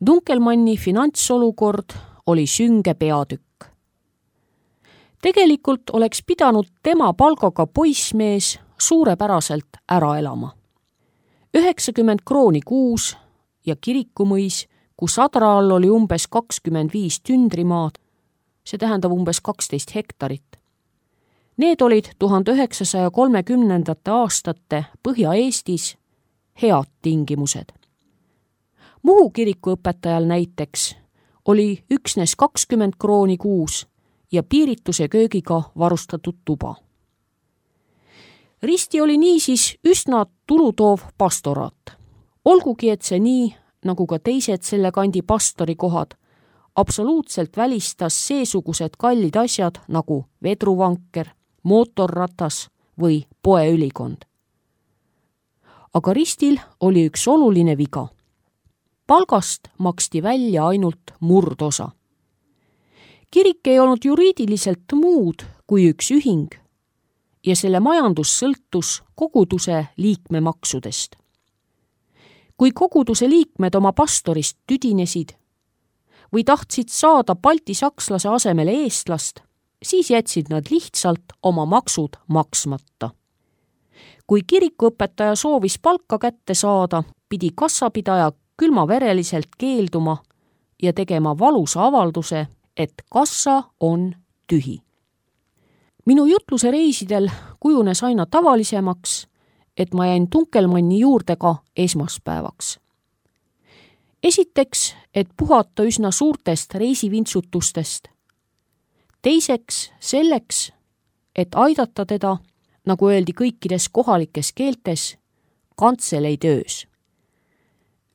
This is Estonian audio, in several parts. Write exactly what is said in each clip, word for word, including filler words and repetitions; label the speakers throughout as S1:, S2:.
S1: Dunkelmanni finantsolukord oli sünge peatükk. Tegelikult oleks pidanud tema palgaga poissmees suurepäraselt ära elama. üheksakümmend krooni kuus ja Kirikumõis, kus adra all oli umbes kakskümmend viis tündrimaad, see tähendab umbes kaksteist hektarit. Need olid tuhande üheksasaja kolmekümnendate aastate Põhja-Eestis head tingimused. Muhu kirikuõpetajal näiteks oli üksnes kakskümmend krooni kuus ja piirituse köögiga varustatud tuba. Risti oli niisiis üsna tulutoov pastoraat. Olgugi, et see nii, nagu ka teised selle kandi pastorikohad, absoluutselt välistas seesugused kallid asjad nagu vedruvanker, mootorratas või poeülikond. Aga Ristil oli üks oluline viga. Palgast maksti välja ainult murdosa. Kirik ei olnud juriidiliselt muud kui üks ühing ja selle majandus sõltus koguduse liikmemaksudest. Kui koguduse liikmed oma pastorist tüdinesid või tahtsid saada baltisakslase asemele eestlast, siis jätsid nad lihtsalt oma maksud maksmata. Kui kirikuõpetaja soovis palka kätte saada, pidi kassapidaja külmavereliselt keelduma ja tegema valusa avalduse, et kassa on tühi. Minu jutluse reisidel kujunes aina tavalisemaks, et ma jäin Dunkelmanni juurde ka esmaspäevaks. Esiteks, et puhata üsna suurtest reisivintsutustest. Teiseks, selleks, et aidata teda, nagu öeldi kõikides kohalikes keeltes, kantseli töös.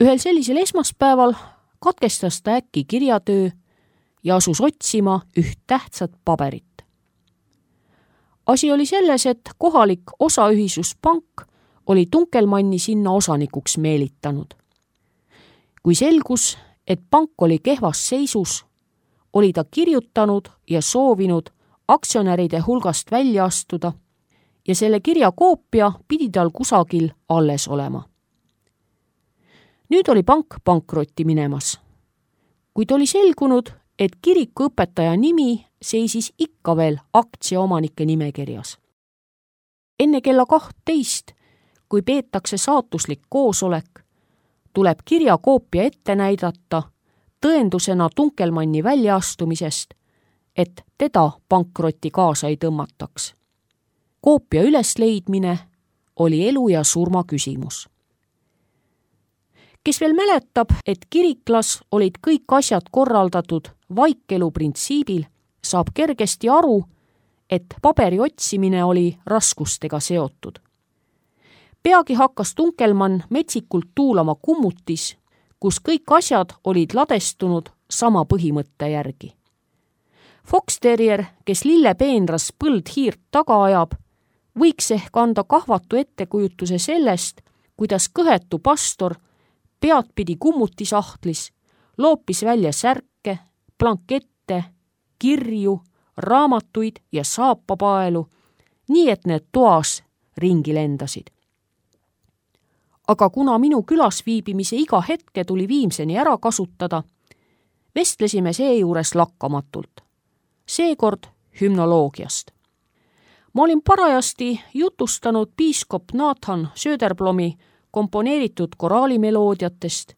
S1: Ühel sellisel esmaspäeval katkestas ta äkki kirjatöö ja asus otsima üht tähtsat paberit. Asi oli selles, et kohalik osaühisuspank oli Dunkelmanni sinna osanikuks meelitanud. Kui selgus, et pank oli kehvas seisus, oli ta kirjutanud ja soovinud aktsionäride hulgast välja astuda ja selle kirja koopia pidi tal kusagil alles olema. Nüüd oli pank pankrotti minemas, kuid oli selgunud, et kirikuõpetaja nimi seisis ikka veel aktsiaomanike nimekirjas. Enne kella kahtteist, kui peetakse saatuslik koosolek, tuleb kirjakoopia ette näidata tõendusena Dunkelmanni väljaastumisest, et teda pankrotti kaasa ei tõmmataks. Koopia ülesleidmine oli elu ja surma küsimus. Kes veel mäletab, et kiriklas olid kõik asjad korraldatud vaikelu printsiibil, saab kergesti aru, et paberi otsimine oli raskustega seotud. Peagi hakkas Dunkelmann metsikult tuulama kummutis, kus kõik asjad olid ladestunud sama põhimõtte järgi. Fox-terrier, kes lillepeenras põldhiirt taga ajab, võiks ehk anda kahvatu ettekujutuse sellest, kuidas kõhetu pastor peadpidi kummutisahtlis loopis välja särke, blankette, kirju, raamatuid ja saapapaelu, nii et need toas ringi lendasid. Aga kuna minu külas viibimise iga hetke tuli viimseni ära kasutada, vestlesime seejuures lakkamatult. Seekord hümnoloogiast. Ma olin parajasti jutustanud piiskop Nathan Söderblomi komponeeritud koraalimeloodiatest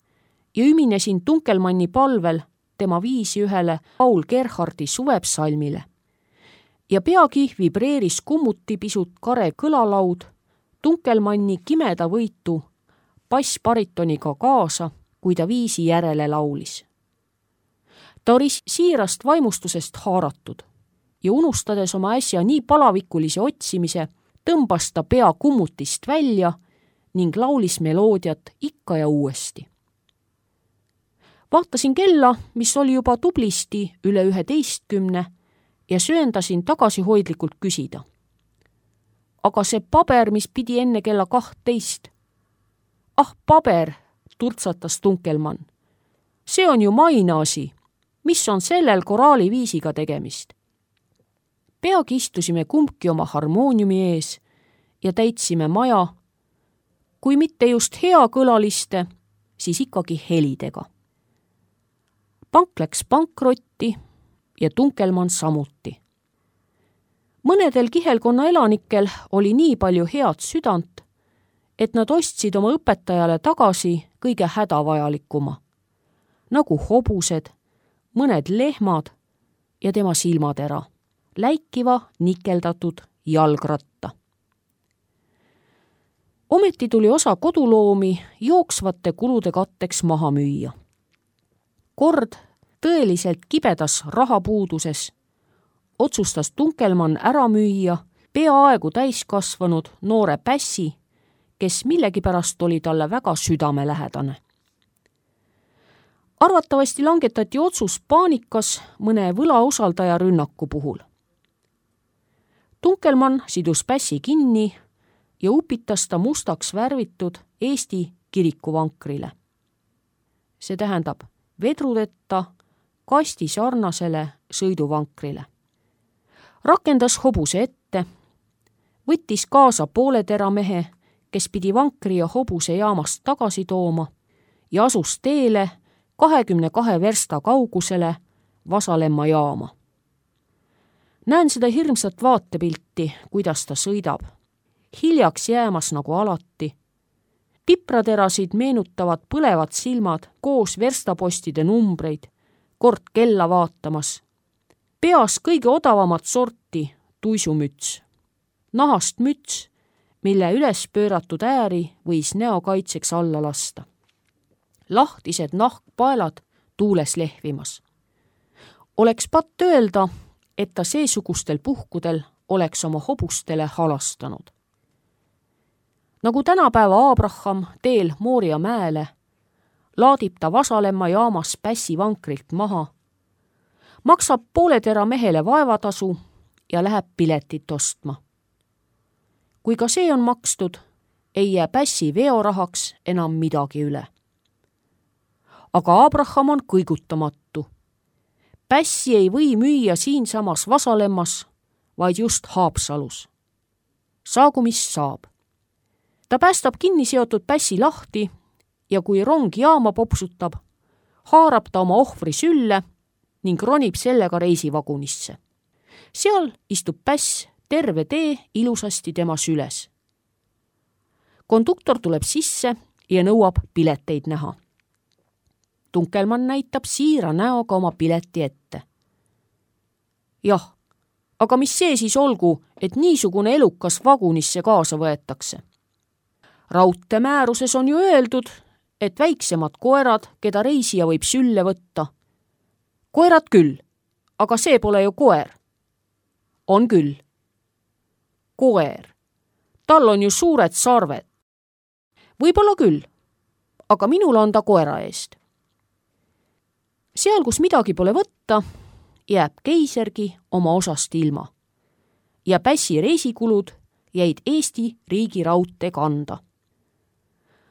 S1: ja üminesin Dunkelmanni palvel tema viisi ühele Paul Gerhardi suvepsalmile. Ja peagi vibreeris kummuti pisut kare kõlalaud Dunkelmanni kimeda võitu bassbaritoniga kaasa, kui ta viisi järele laulis. Ta oli siirast vaimustusest haaratud ja unustades oma äsja nii palavikulise otsimise, tõmbas ta pea kummutist välja ning laulis meloodiat ikka ja uuesti. Vaatasin kella, mis oli juba tublisti üle üheteistkümne ja sööndasin tagasihoidlikult küsida. Aga see paber, mis pidi enne kella kahtteist. Ah, paber, turtsatas Dunkelmann. See on ju mainaasi. Mis on sellel koraaliviisiga tegemist? Peagi istusime kumbki oma harmooniumi ees ja täitsime maja, kui mitte just hea kõlaliste, siis ikkagi helidega. pank läks pankrotti ja Tunkelmann samuti. Mõnedel kihelkonna elanikel oli nii palju head südant, et nad ostsid oma õpetajale tagasi kõige hädavajalikuma, nagu hobused, mõned lehmad ja tema silmatera, läikiva nikeldatud jalgratta. Ometi tuli osa koduloomi jooksvate kulude katteks maha müüa. Kord tõeliselt kibedas rahapuuduses otsustas Tunkelmann ära müüa peaaegu täiskasvanud noore pässi, kes millegipärast oli talle väga südamelähedane. Arvatavasti langetati otsus paanikas mõne võlausaldaja rünnaku puhul. Tunkelmann sidus pässi kinni ja upitas ta mustaks värvitud Eesti kirikuvankrile. See tähendab vedrudeta kasti sarnasele sõiduvankrile. Rakendas hobuse ette, võttis kaasa pooletera mehe, kes pidi vankri ja hobuse jaamast tagasi tooma ja asus teele kahekümne kahe versta kaugusele Vasalemma jaama. Näen seda hirmsat vaatepilti, kuidas ta sõidab. Hiljaks jäämas nagu alati. Pipraterasid meenutavad põlevad silmad koos verstapostide numbreid, kord kella vaatamas. Peas kõige odavamat sorti tuisumüts. Nahast müts, mille üles pööratud ääri võis näokaitseks alla lasta. Lahtised nahkpaelad tuules lehvimas. Oleks patt öelda, et ta seesugustel puhkudel oleks oma hobustele halastanud. Nagu tänapäeva Abraham teel Mooria mäele, laadib ta Vasalemma jaamas pässi vankrilt maha, maksab pooletera mehele vaevatasu ja läheb piletit ostma. Kui ka see on makstud, ei jää pässi veorahaks enam midagi üle. Aga Abraham on kõigutamatu. Pässi ei või müüa siinsamas Vasalemmas, vaid just Haapsalus. Saagu mis saab. Ta päästab kinni seotud pässi lahti ja kui rong jaama popsutab, haarab ta oma ohvri sülle ning ronib sellega reisivagunisse. Seal istub päss terve tee ilusasti tema süles. Konduktor tuleb sisse ja nõuab pileteid näha. Tunkelmann näitab siira näoga oma pileti ette. Jah, aga mis see siis olgu, et niisugune elukas vagunisse kaasa võetakse? Raudteemääruses on ju öeldud, et väiksemad koerad, keda reisija võib sülle võtta. Koerad küll, aga see pole ju koer. On küll. Koer. Tal on ju suured sarved. Võib-olla küll, aga minul on ta koera eest. Seal, kus midagi pole võtta, jääb keisergi oma osast ilma. Ja pässi reisikulud jäid Eesti riigi raudtee kanda.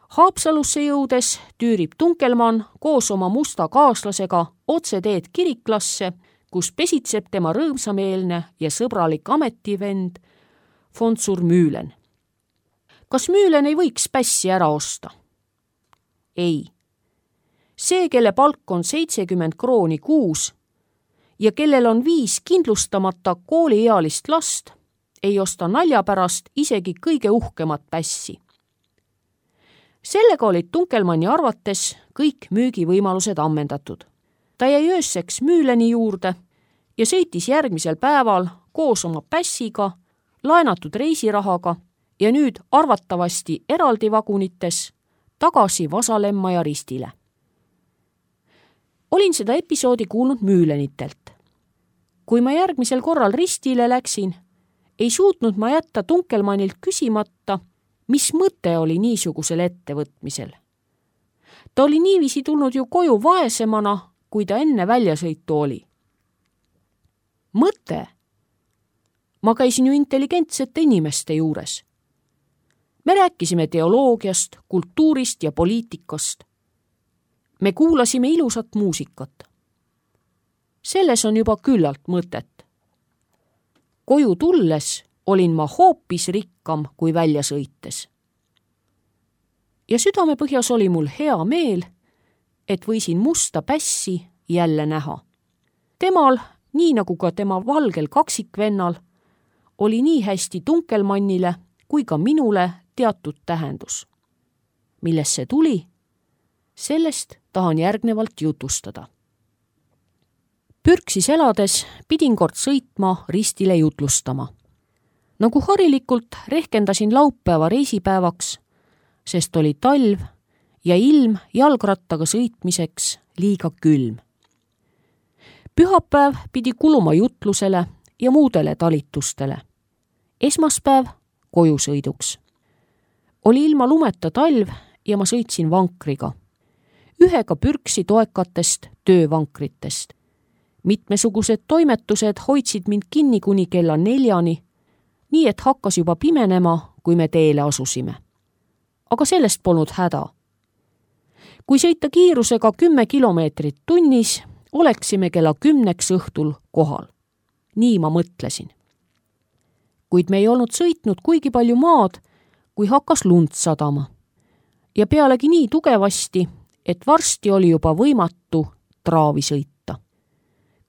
S1: Haapsalusse jõudes tüürib Tunkelmann koos oma musta kaaslasega otse teed kiriklasse, kus pesitseb tema rõõmsameelne ja sõbralik ametivend Fontsur Müülen. Kas Müülen ei võiks pässi ära osta? Ei. See, kelle palk on seitsekümmend krooni kuus ja kellel on viis kindlustamata kooliealist last, ei osta nalja pärast isegi kõige uhkemat pässi. Sellega olid Tunkelmanni arvates kõik müügivõimalused ammendatud. Ta jäi öösseks Müüleni juurde ja sõitis järgmisel päeval koos oma pässiga, laenatud reisirahaga ja nüüd arvatavasti eraldi vagunites tagasi Vasalemma ja Ristile. Olin seda episoodi kuulnud Müülenitelt. Kui ma järgmisel korral Ristile läksin, ei suutnud ma jätta Tunkelmannilt küsimata, mis mõte oli niisugusel ettevõtmisel. Ta oli niiviisi tulnud ju koju vaesemana, kui ta enne väljasõitu oli. Mõte? Ma käisin ju intelligentsete inimeste juures. Me rääkisime teoloogiast, kultuurist ja poliitikast. Me kuulasime ilusat muusikat. Selles on juba küllalt mõtet. Koju tulles olin ma hoopis rikkam kui välja sõites. Ja südamepõhjas oli mul hea meel, et võisin musta pässi jälle näha. Temal, nii nagu ka tema valgel kaksikvennal, oli nii hästi Tunkelmannile kui ka minule teatud tähendus. Millest see tuli? Sellest tahan järgnevalt jutustada. Pürksis elades pidin kord sõitma Ristile jutlustama. Nagu harilikult rehkendasin laupäeva reisipäevaks, sest oli talv ja ilm jalgrattaga sõitmiseks liiga külm. Pühapäev pidi kuluma jutlusele ja muudele talitustele. Esmaspäev kojusõiduks. Oli ilma lumeta talv ja ma sõitsin vankriga. Ühega Pürksi toekatest töövankritest. Mitmesugused toimetused hoidsid mind kinni kuni kella neljani, nii et hakkas juba pimenema, kui me teele asusime. Aga sellest polnud häda. Kui sõita kiirusega kümme kilomeetrit tunnis, oleksime kella kümneks õhtul kohal. Nii ma mõtlesin. Kuid me ei olnud sõitnud kuigi palju maad, kui hakkas lund sadama. Ja pealegi nii tugevasti, et varsti oli juba võimatu traavi sõita.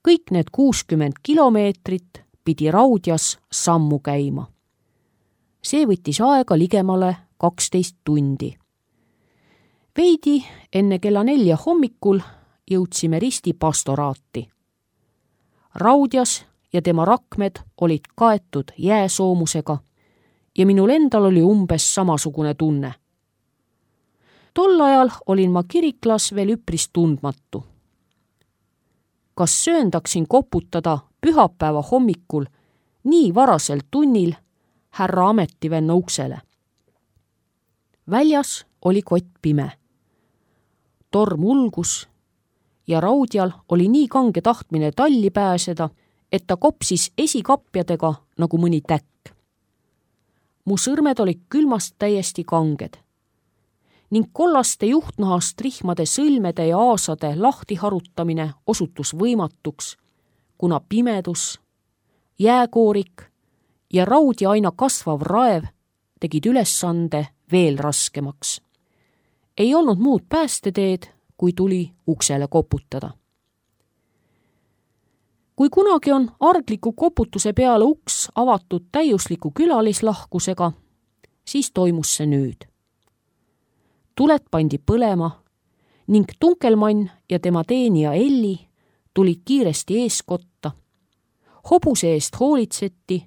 S1: Kõik need kuuskümmend kilomeetrit pidi Raudjas sammu käima. See võttis aega ligemale kaksteist tundi. Veidi enne kella nelja hommikul jõudsime Risti pastoraati. Raudjas ja tema rakmed olid kaetud jääsoomusega ja minul endal oli umbes samasugune tunne. Tol ajal olin ma kiriklas veel üpris tundmatu. Kas sööndaksin koputada pühapäeva hommikul nii varasel tunnil härra ametivenna uksele? Väljas oli kott pime. Torm ulgus ja Raudjal oli nii kange tahtmine talli pääseda, et ta kopsis esikapjadega nagu mõni täkk. Mu sõrmed olid külmast täiesti kanged ning kollaste juhtnahast rihmade sõlmede ja aasade lahti harutamine osutus võimatuks, kuna pimedus, jääkoorik ja Raudja aina kasvav raev tegid ülesande veel raskemaks. Ei olnud muud päästeteed, kui tuli uksele koputada. Kui kunagi on argliku koputuse peale uks avatud täiusliku külalislahkusega, siis toimus see nüüd. Tuled pandi põlema ning Tunkelmann ja tema teenija Elli tulid kiiresti eeskotta. Hobuse eest hoolitseti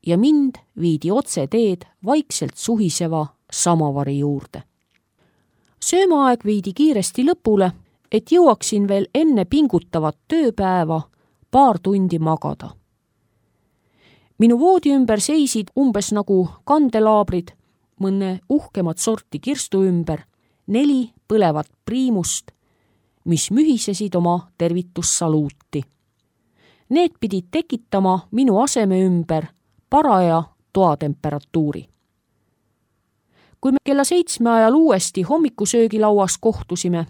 S1: ja mind viidi otse teed vaikselt suhiseva samavari juurde. Söömaaeg viidi kiiresti lõpule, et jõuaksin veel enne pingutavat tööpäeva paar tundi magada. Minu voodi ümber seisid umbes nagu kandelaabrid, mõne uhkemat sorti kirstu ümber, neli põlevat priimust, mis mühisesid oma tervitussaluuti. Need pidid tekitama minu aseme ümber paraja toatemperatuuri. Kui me kella seitsme ajal uuesti hommikusöögilauas kohtusime,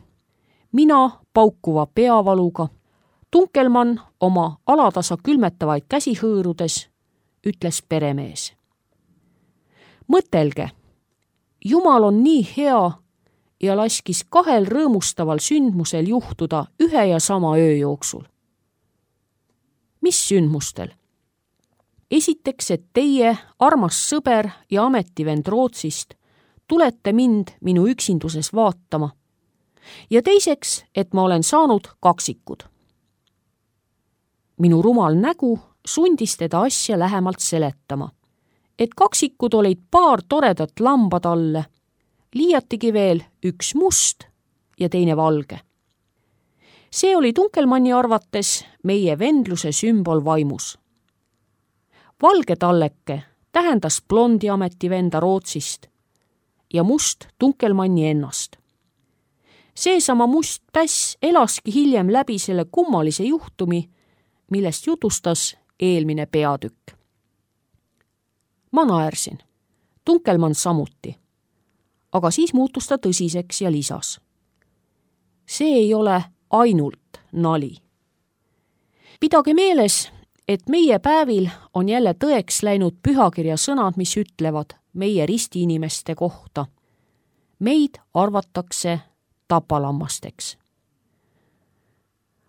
S1: mina paukuva peavaluga, Tunkelmann oma alatasa külmetavaid käsi hõõrudes, ütles peremees. Mõtelge, Jumal on nii hea ja laskis kahel rõõmustaval sündmusel juhtuda ühe ja sama öö jooksul. Mis sündmustel? Esiteks, et teie, armas sõber ja ametivend Rootsist, tulete mind minu üksinduses vaatama. Ja teiseks, et ma olen saanud kaksikud. Minu rumal nägu sundis teda asja lähemalt seletama, et kaksikud olid paar toredat lambatalle, liiatigi veel üks must ja teine valge. See oli Tunkelmanni arvates meie vendluse sümbol vaimus. Valge talleke tähendas blondi ametivenda Rootsist ja must Tunkelmanni ennast. Seesama must päss elaski hiljem läbi selle kummalise juhtumi, millest jutustas eelmine peatükk. Ma naersin, Tunkelmann samuti, aga siis muutus ta tõsiseks ja lisas. See ei ole ainult nali. Pidage meeles, et meie päevil on jälle tõeks läinud pühakirja sõnad, mis ütlevad meie ristiinimeste kohta. Meid arvatakse tapalammasteks.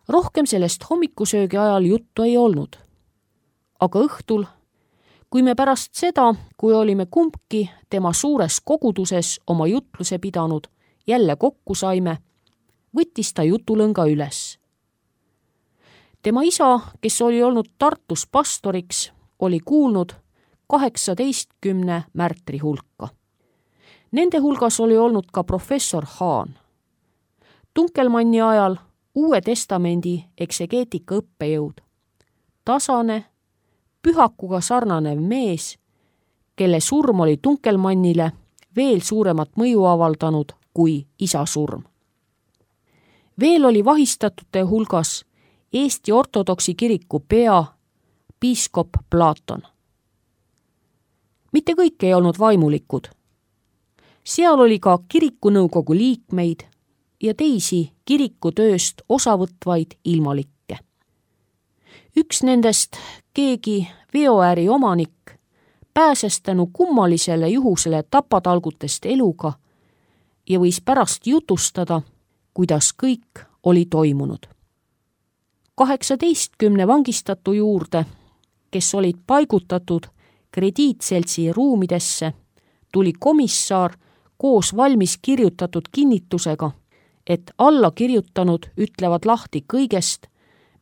S1: rohkem sellest hommikusöögi ajal juttu ei olnud. Aga õhtul, kui me pärast seda, kui olime kumbki tema suures koguduses oma jutluse pidanud, jälle kokku saime, võttis ta jutulõnga üles. Tema isa, kes oli olnud Tartus pastoriks, oli kuulnud kaheksateistkümne märtri hulka. Nende hulgas oli olnud ka professor Hahn. Tunkelmanni ajal Uue Testamendi eksegeetika õppejõud. Tasane, pühakuga sarnanev mees, kelle surm oli Tunkelmannile veel suuremat mõju avaldanud kui isa surm. Veel oli vahistatute hulgas Eesti ortodoksi kiriku pea, piiskop Platon. Mitte kõik ei olnud vaimulikud. Seal oli ka kirikunõukogu liikmeid ja teisi kirikutööst osavõtvaid ilmalikke. Üks nendest, keegi veoääri omanik, pääses tänu kummalisele juhusele tapatalgutest eluga ja võis pärast jutustada, kuidas kõik oli toimunud. kaheksateistkümne vangistatu juurde, kes olid paigutatud krediitseltsi ruumidesse, tuli komissar koos valmis kirjutatud kinnitusega, et alla kirjutanud ütlevad lahti kõigest,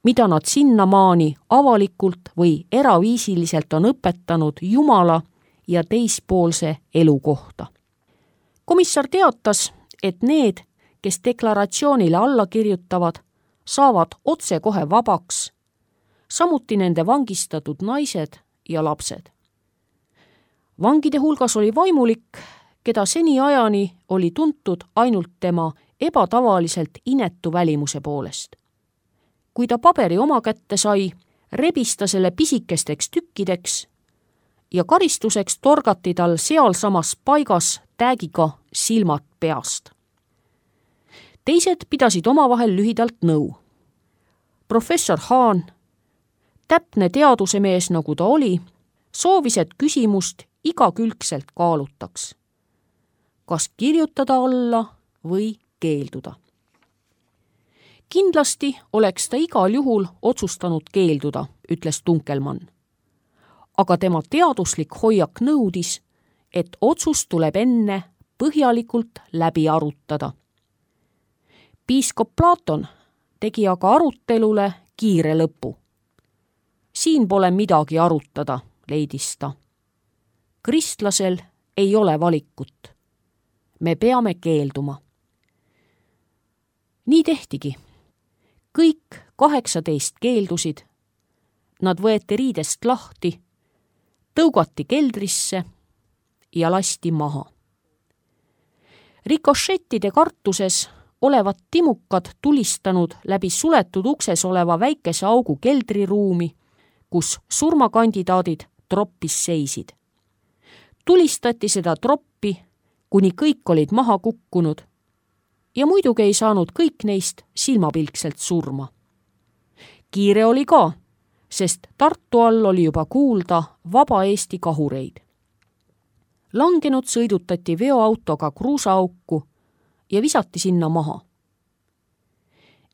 S1: mida nad sinnamaani avalikult või eraviisiliselt on õpetanud Jumala ja teispoolse elu kohta. Komissar teatas, et need, kes deklaratsioonile alla kirjutavad, saavad otsekohe vabaks, samuti nende vangistatud naised ja lapsed. Vangide hulgas oli vaimulik, keda seniajani oli tuntud ainult tema ebatavaliselt inetu välimuse poolest. Kui ta paberi oma kätte sai, rebis ta selle pisikesteks tükkideks ja karistuseks torgati tal sealsamas paigas täägiga silmad peast. Teised pidasid omavahel lühidalt nõu. Professor Hahn, täpne teadusemees nagu ta oli, soovis, et küsimust igakülgselt kaalutaks. Kas kirjutada alla või keelduda. Kindlasti oleks ta igal juhul otsustanud keelduda, ütles Tunkelmann. Aga tema teaduslik hoiak nõudis, et otsus tuleb enne põhjalikult läbi arutada. Piiskop Platon tegi aga arutelule kiire lõpu. Siin pole midagi arutada, leidis ta. Kristlasel ei ole valikut. Me peame keelduma. Nii tehtigi. Kõik kaheksateist keeldusid. Nad võeti riidest lahti, tõugati keldrisse ja lasti maha. Rikošettide kartuses olevat timukad tulistanud läbi suletud ukses oleva väikese augu keldriruumi, kus surmakandidaadid troppis seisid. Tulistati seda troppi, kuni kõik olid maha kukkunud ja muidugi ei saanud kõik neist silmapilkselt surma. Kiire oli ka, sest Tartu all oli juba kuulda vaba Eesti kahureid. Langenud sõidutati veoautoga kruusaauku ja visati sinna maha.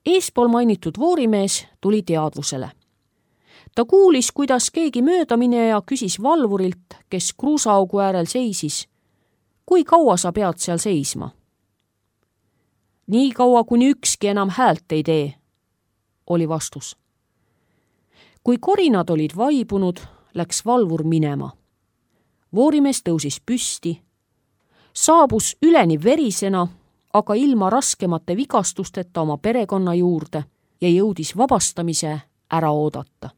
S1: Eespool mainitud voorimees tuli teadvusele. Ta kuulis, kuidas keegi möödamineja küsis valvurilt, kes kruusaaugu äärel seisis, kui kaua sa pead seal seisma? Nii kaua, kuni ükski enam häält ei tee, oli vastus. Kui korinad olid vaibunud, läks valvur minema. Voorimees tõusis püsti, saabus üleni verisena, aga ilma raskemate vigastusteta oma perekonna juurde ja jõudis vabastamise ära oodata.